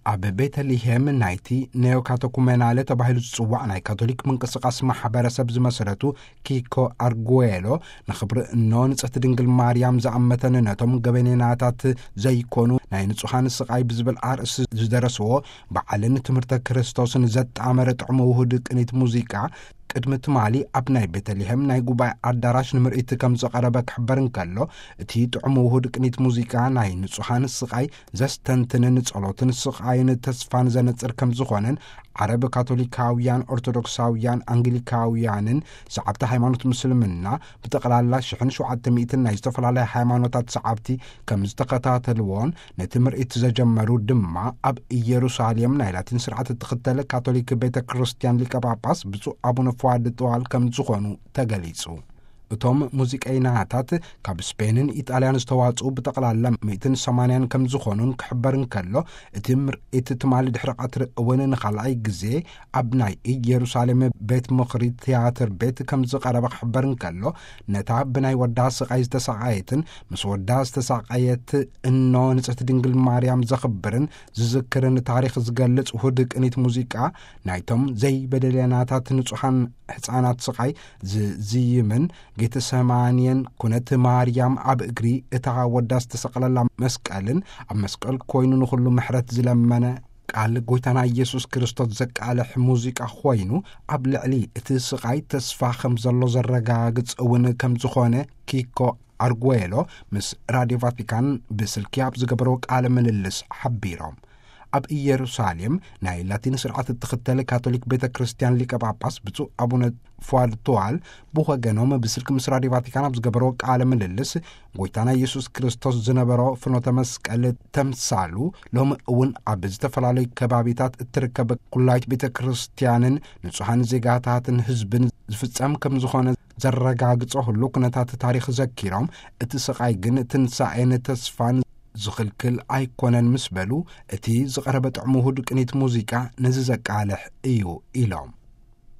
ኣብ ቤተልሔም ናይቲ ኔዮካተኩመናለ ተባሂሉ ዝጽዋዕ ናይ ካቶሊክ ምንቅስቓስ ማሕበረሰብ ዝመሰረቱ ኪኮ ኣርጉዌሎ፣ ንኽብሪ እኖ ንጽሕቲ ድንግል ማርያም ዝኣመተን ነቶም ገበኔናታት ዘይኮኑ ናይ ንጹሃን ስቓይ ብዝብል ኣርእስቲ ዝደረስዎ፣ በዓልን ትምህርተ ክርስቶስን ዘጣመረ ጥዑም ውሁድ ቅኒት ሙዚቃ፣ ቅድሚ ትማሊ ኣብ ናይ ቤተልሔም ናይ ጉባኤ ኣዳራሽ ንምርኢት ከም ዝቐረበ ክሕበር እንከሎ፣ እቲ ጥዑም ውሁድ ቅኒት ሙዚቃ ናይ ንጹሃን ስቓይ ዘስተንትንን ጸሎትን ስቓይን ተስፋን ዘነጽር ከም ዝኾነን፣ ዓረብ ካቶሊካውያን፣ ኦርቶዶክሳውያን፣ ኣንግሊካውያንን ሰዓብቲ ሃይማኖት ምስልምና ብጠቕላላ ሽሕን ሸውዓተ ሚእትን ናይ ዝተፈላለያ ሃይማኖታት ሰዓብቲ ከም ዝተኸታተልዎን፣ ነቲ ምርኢት ዘጀመሩ ድማ ኣብ ኢየሩሳሌም ናይ ላቲን ስርዓት እትኽተል ካቶሊክ ቤተ ክርስቲያን ሊቀ ጳጳስ ብፁዕ ኣቡነ ፍዋድ ጥዋል ከም ዝኾኑ ተገሊጹ። እቶም ሙዚቀይናታት ካብ ስፔንን ኢጣልያን ዝተዋጽኡ ብጠቕላላ ሚእትን ሰማንያን ከም ዝኾኑን ክሕበር እንከሎ፣ እቲ ምርኢት ትማሊ ድሕሪ ቀትሪ እውን ንኻልኣይ ግዜ ኣብ ናይ ኢየሩሳሌም ቤት ምኽሪ ትያትር ቤት ከም ዝቐረበ ክሕበር እንከሎ፣ ነታ ብናይ ወዳ ስቓይ ዝተሳቐየትን ምስ ወዳ ዝተሳቐየት እኖ ንጽሕቲ ድንግል ማርያም ዘኽብርን ዝዝክርን ታሪኽ ዝገልጽ ውሁድ ቅኒት ሙዚቃ፣ ናይቶም ዘይበደለናታት ንጹሓን ሕፃናት ስቓይ ዝዝይምን፣ ጌተሰማንየን ኩነት ማርያም ኣብ እግሪ እታ ወዳ ዝተሰቕለላ መስቀልን፣ ኣብ መስቀል ኮይኑ ንኹሉ ምሕረት ዝለመነ ቃል ጎይታና ኢየሱስ ክርስቶስ ዘቃልሕ ሙዚቃ ኮይኑ፣ ኣብ ልዕሊ እቲ ስቓይ ተስፋ ከም ዘሎ ዘረጋግጽ እውን ከም ዝኾነ ኪኮ ኣርጉዌሎ ምስ ራድዮ ቫቲካን ብስልኪ ኣብ ዝገበርዎ ቃለ ምልልስ ሓቢሮም። ኣብ ኢየሩሳሌም ናይ ላቲን ስርዓት እትኽተል ካቶሊክ ቤተ ክርስቲያን ሊቀ ጳጳስ ብፁዕ ኣቡነ ፏድ ቱዋል ብወገኖም ብስልኪ ምስ ራድዮ ቫቲካን ኣብ ዝገበርዎ ቃለ ምልልስ፣ ጎይታና ኢየሱስ ክርስቶስ ዝነበሮ ፍኖተ መስቀል ተምሳሉ ሎሚ እውን ኣብ ዝተፈላለዩ ከባቢታት እትርከብ ኩላይት ቤተ ክርስቲያንን ንጹሓን ዜጋታትን ህዝብን ዝፍጸም ከም ዝኾነ ዘረጋግጾ ህሉ ኩነታት ታሪኽ ዘኪሮም፣ እቲ ስቓይ ግን ትንሳኤን ተስፋን ዝኽልክል ኣይኮነን ምስ በሉ፣ እቲ ዝቐረበ ጥዑም ውሁድ ቅኒት ሙዚቃ ነዚ ዘቃልሕ እዩ ኢሎም።